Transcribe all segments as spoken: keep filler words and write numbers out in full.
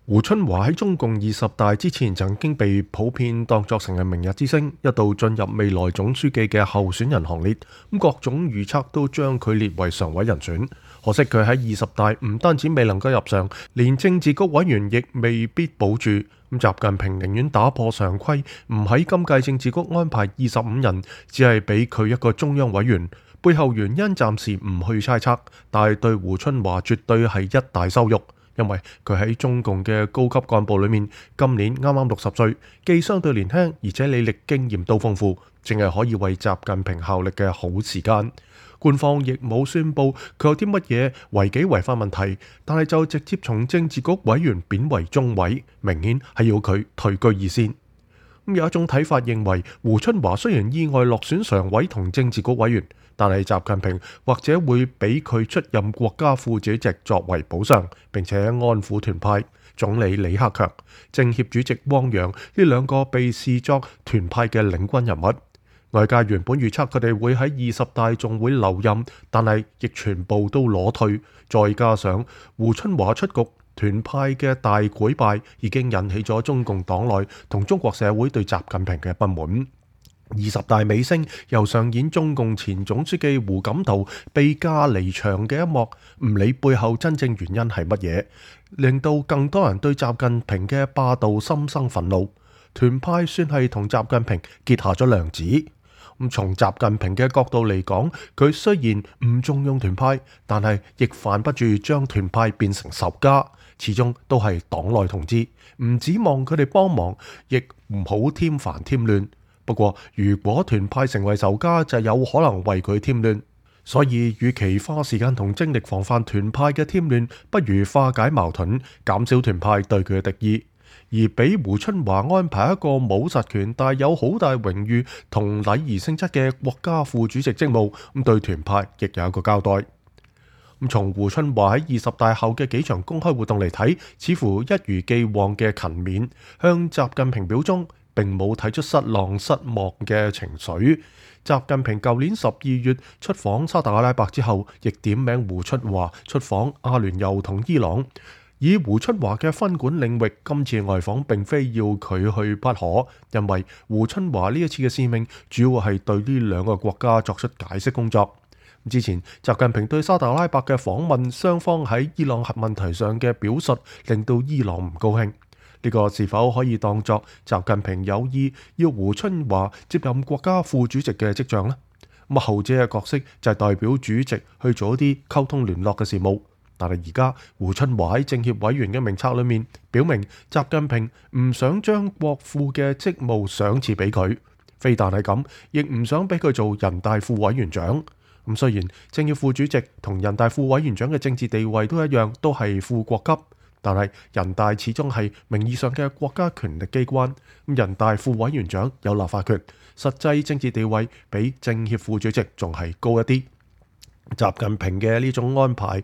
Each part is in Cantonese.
胡春華喺中共二十大之前曾經被普遍當作成係明日之星，一度進入未來總書記嘅候選人行列，咁各種預測都將佢列為常委人選。可惜佢喺二十大唔單止未能夠入上，連政治局委員亦未必保住。咁習近平寧願打破常規，唔喺今屆政治局安排二十五人，只係俾佢一個中央委員。背後原因暫時唔去猜測，但係對胡春華絕對係一大羞辱。因為佢喺中共嘅高級幹部裏面，今年啱啱六十歲，既相對年輕，而且履歷經驗都豐富，正係可以為習近平效力嘅好時間。官方亦冇宣布佢有啲乜嘢違紀違法問題，但係就直接從政治局委員貶為中委，明顯係要佢退居二線。咁有一種睇法認為，胡春華雖然意外落選常委同政治局委員，但係習近平或者會俾佢出任國家副主席作為補償，並且安撫團派。總理李克強、政協主席汪洋呢兩個被視作團派嘅領軍人物，外界原本預測佢哋會喺二十大仲會留任，但係亦全部都裸退。再加上胡春華出局，團派嘅大潰敗已經引起咗中共黨內同中國社會對習近平嘅不滿。二十大尾聲又上演中共前總書記胡錦濤被架離場嘅一幕，唔理背後真正原因係乜嘢，令到更多人對習近平嘅霸道心生憤怒。團派算係同習近平結下咗梁子。咁從習近平嘅角度嚟講，佢雖然唔重用團派，但係亦犯不住將團派變成仇家，始終都係黨內同志，唔指望佢哋幫忙，亦唔好添煩添亂。不過如果團派成為仇家，就有可能為佢添亂。所以與其花時間同精力防範團派嘅添亂，不如化解矛盾，減少團派對佢嘅敵意。而俾胡春華安排一個冇實權但有好大榮譽同禮儀性質嘅國家副主席職務，咁對團派亦有一個交代。咁從胡春華喺二十大後嘅幾場公開活動嚟睇，似乎一如既往嘅勤勉，向習近平表忠，並冇睇出失望失望嘅情緒。習近平舊年十二月出訪沙特阿拉伯之後，亦點名胡春華出訪阿聯酋同伊朗。以胡春華嘅分管領域，今次外訪並非要佢去不可，因為胡春華呢一次嘅使命主要係對呢兩個國家作出解釋工作。之前習近平對沙特阿拉伯嘅訪問，雙方喺伊朗核問題上嘅表述，令到伊朗唔高興。呢個是否可以當作習近平有意要胡春華接任國家副主席嘅跡象呢？咁後者嘅角色就係代表主席去做一啲溝通聯絡嘅事務。但係而家胡春華喺政協委員嘅名冊裏面表明，習近平唔想將國副嘅職務賞賜俾佢，非但係咁，亦唔想俾佢做人大副委員長。咁雖然政協副主席同人大副委員長嘅政治地位都一樣，都係副國級，但係人大始終係名義上嘅國家權力機關。咁人大副委員長有立法權，實際政治地位比政協副主席仲係高一啲。習近平嘅呢種安排，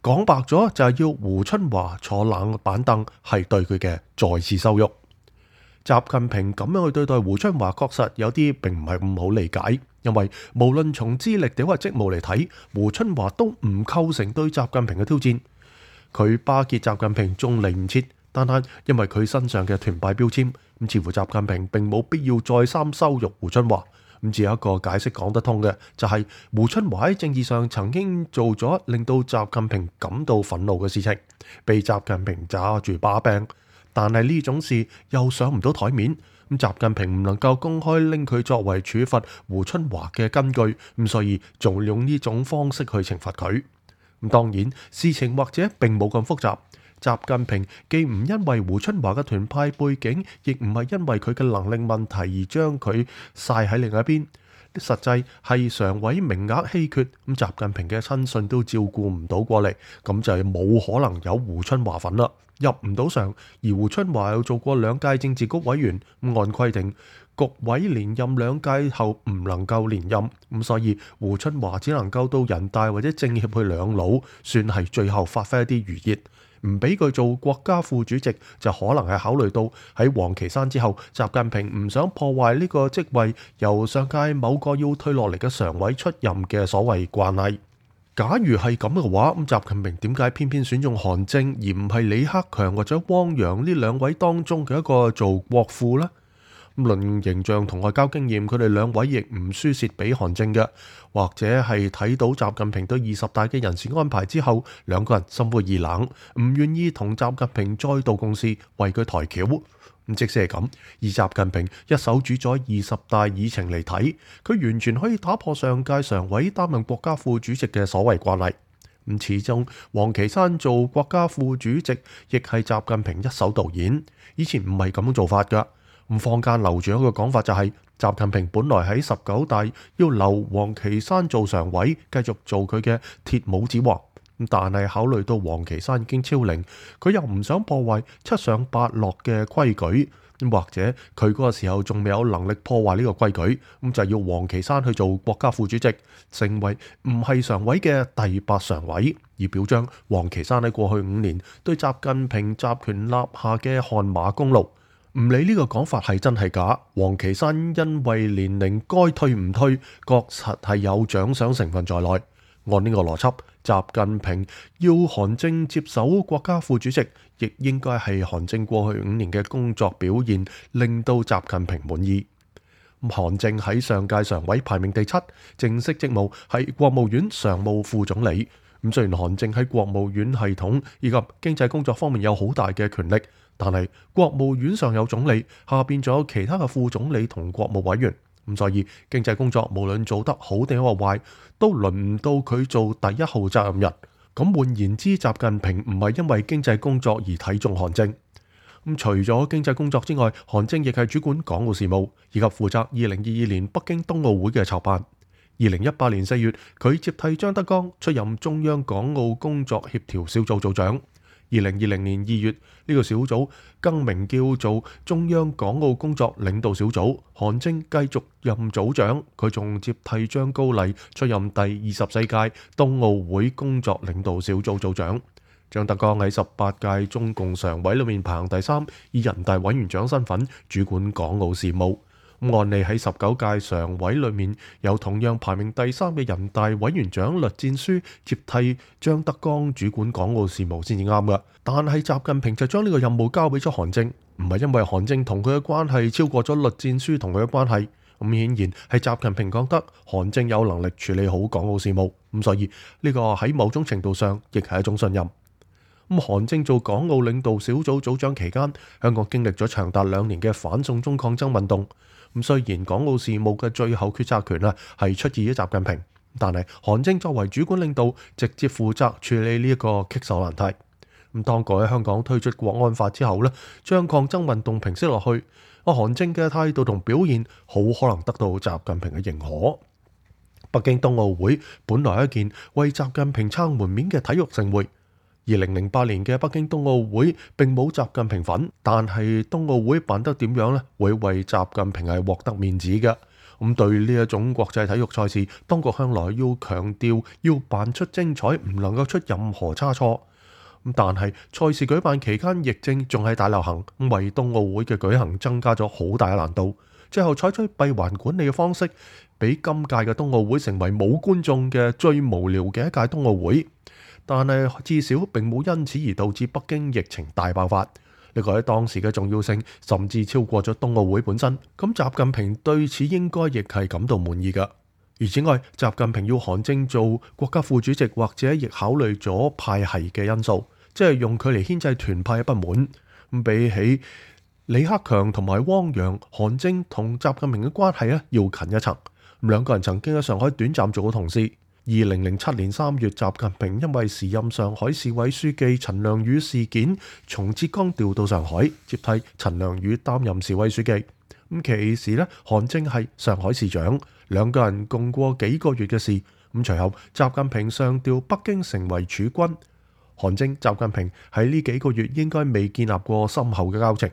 講白咗就係要胡春華坐冷板凳，係對佢嘅再次羞辱。習近平咁樣去對待胡春華，確實有啲並唔係咁好理解，因為無論從資歷定或職務嚟睇，胡春華都唔構成對習近平嘅挑戰。佢巴結習近平仲嚟唔切，單單因為佢身上嘅團派標籤，咁似乎習近平並冇必要再三羞辱胡春華。咁只有一個解釋講得通嘅，就係胡春華喺政治上曾經做咗令到習近平感到憤怒嘅事情，被習近平揸住把柄，但係呢種事又上唔到台面，咁習近平唔能夠公開拎佢作為處罰胡春華嘅根據，咁所以仲用呢種方式去懲罰佢。咁當然事情或者並冇咁複雜。習近平既唔因為胡春華嘅團派背景，亦唔係因為佢嘅能力問題而將佢曬喺另一邊。實際係常委名額稀缺，咁習近平嘅親信都照顧唔到過嚟，咁就係冇可能有胡春華份啦，入唔到常。而胡春華又做過兩屆政治局委員，按規定局委連任兩屆後唔能夠連任，咁所以胡春華只能夠到人大或者政協去兩老，算係最後發揮一啲餘熱。唔俾佢做國家副主席，就可能係考慮到喺王岐山之後，習近平唔想破壞呢個職位由上屆某個要退落嚟嘅常委出任嘅所謂慣例。假如係咁嘅話，咁習近平點解偏偏選中韓正而唔係李克強或者汪洋呢兩位當中嘅一個做國父呢？論形象同外交經驗，佢哋兩位亦唔輸蝕俾韓正嘅，或者係睇到習近平對二十大嘅人事安排之後，兩個人心灰意冷，唔願意同習近平再度共事，為佢抬轎。咁即使係咁，以習近平一手主宰二十大議程嚟睇，佢完全可以打破上屆常委擔任國家副主席嘅所謂慣例。咁始終王岐山做國家副主席，亦係習近平一手導演，以前唔係咁樣做法噶。咁坊間流傳一個講法就係，習近平本來喺十九大要留王岐山做常委，繼續做佢嘅鐵帽子王。但係考慮到王岐山已經超齡，佢又唔想破壞七上八落嘅規矩，或者佢嗰個時候仲未有能力破壞呢個規矩，咁就要王岐山去做國家副主席，成為唔係常委嘅第八常委，以表彰王岐山喺過去五年對習近平集權立下嘅汗馬功勞。唔理呢個講法係真係假，王岐山因為年齡該退唔退，確實係有獎賞成分在內。按呢個邏輯，習近平要韓正接手國家副主席，亦應該係韓正過去五年嘅工作表現令到習近平滿意。韓正喺上屆常委排名第七，正式職務係國務院常務副總理。咁雖然韓正喺國務院系統以及經濟工作方面有好大嘅權力，但係國務院上有總理，下邊仲有其他嘅副總理同國務委員，咁所以經濟工作無論做得好定係壞，都輪唔到佢做第一號責任人。咁換言之，習近平唔係因為經濟工作而睇中韓正。咁除咗經濟工作之外，韓正亦係主管港澳事務，以及負責二零二二年北京冬奧會嘅籌辦。二零一八年四月，佢接替張德江出任中央港澳工作協調小組組長。二零二零年二月，呢個小組更名叫做中央港澳工作領導小組，韓正繼續任組長，佢仲接替張高麗出任第二十四屆冬奧會工作領導小組組長。張德江喺十八屆中共常委裏面排行第三，以人大委員長身份主管港澳事務。按理喺十九屆常委裏面有同樣排名第三嘅人大委員長栗戰書接替張德江主管港澳事務先至啱㗎，但係習近平就將呢個任務交俾咗韓正，唔係因為韓正同佢嘅關係超過咗栗戰書同佢嘅關係，咁顯然係習近平覺得韓正有能力處理好港澳事務，咁所以呢個喺某種程度上亦係一種信任。咁韓正做港澳領導小組組長期間，香港經歷咗長達兩年嘅反送中抗爭運動。咁雖然港澳事務嘅最後決策權啊係出自於習近平，但係韓正作為主管領導，直接負責處理呢一個棘手難題。咁當佢喺香港推出國安法之後呢，將抗爭運動平息落去，阿韓正嘅態度同表現好可能得到習近平嘅認可。北京冬奧會本來係一件為習近平撐門面嘅體育盛會。二零零八年嘅北京冬奧會並冇習近平份，但係冬奧會辦得點樣呢？會為習近平係獲得面子嘅。咁對呢一種國際體育賽事，當局向來要強調要辦出精彩，唔能夠出任何差錯。咁但係賽事舉辦期間疫症仲係大流行，為冬奧會嘅舉行增加咗好大嘅難度。最後採取閉環管理嘅方式，俾今屆嘅冬奧會成為冇觀眾嘅最無聊嘅一屆冬奧會。但係至少並冇因此而導致北京疫情大爆發，呢個喺當時嘅重要性甚至超過咗冬奧會本身。咁習近平對此應該亦係感到滿意㗎。而此外，習近平要韓正做國家副主席，或者亦考慮咗派系嘅因素，即係用佢嚟牽制團派嘅不滿。咁比起李克強同埋汪洋，韓正同習近平嘅關係咧要近一層。兩個人曾經喺上海短暫做過同事。二零零七年三月，習近平因為時任上海市委書記陳良宇事件，從浙江調到上海，接替陳良宇擔任市委書記。咁其時咧，韓正係上海市長，兩個人共過幾個月嘅事。咁隨後，習近平上調北京成為儲君，韓正、習近平喺呢幾個月應該未建立過深厚嘅交情。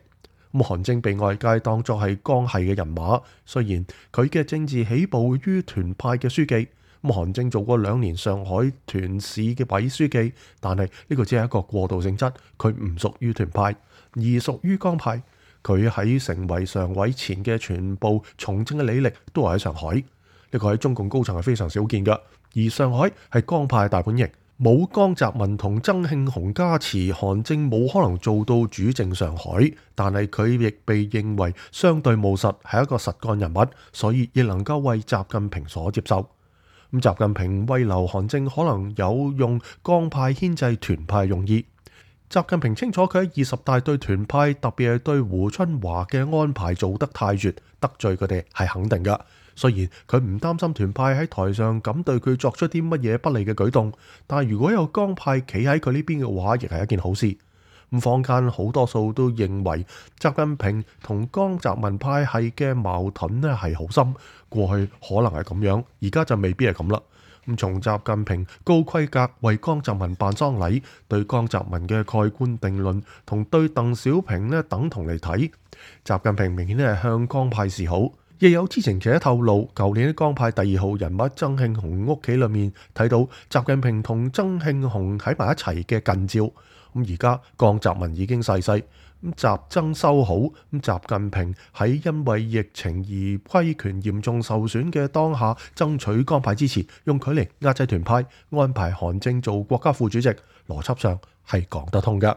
咁韓正被外界當作係江系嘅人馬，雖然佢嘅政治起步於團派嘅書記。咁韓正做過兩年上海團市嘅委書記，但係呢個只係一個過渡性質，佢唔屬於團派，而屬於江派。佢喺成為常委前嘅全部從政嘅履歷都係喺上海。呢個喺中共高層係非常少見嘅。而上海係江派大本營，冇江澤民同曾慶紅加持，韓正冇可能做到主政上海。但係佢亦被認為相對務實，係一個實幹人物，所以亦能夠為習近平所接受。咁習近平慰留韓正可能有用江派牽制團派用意。習近平清楚佢喺二十大對團派，特別係對胡春華嘅安排做得太絕，得罪佢哋係肯定㗎。雖然佢唔擔心團派喺台上咁對佢作出啲乜嘢不利嘅舉動，但係如果有江派企喺佢呢邊嘅話，亦係一件好事。咁坊間好多數都認為習近平同江澤民派系嘅矛盾咧係好深，過去可能係咁樣，而家就未必係咁啦。咁從習近平高規格為江澤民辦喪禮，對江澤民嘅蓋棺定論同對鄧小平咧等同嚟睇，習近平明顯係向江派示好。亦有知情者透露，舊年喺江派第二號人物曾慶紅屋企裏面睇到習近平同曾慶紅喺埋一齊嘅近照。咁而家江澤民已經逝世，咁習曾修好，咁習近平喺因為疫情而威權嚴重受損嘅當下，爭取江派支持，用佢嚟壓制團派，安排韓正做國家副主席，邏輯上係講得通㗎。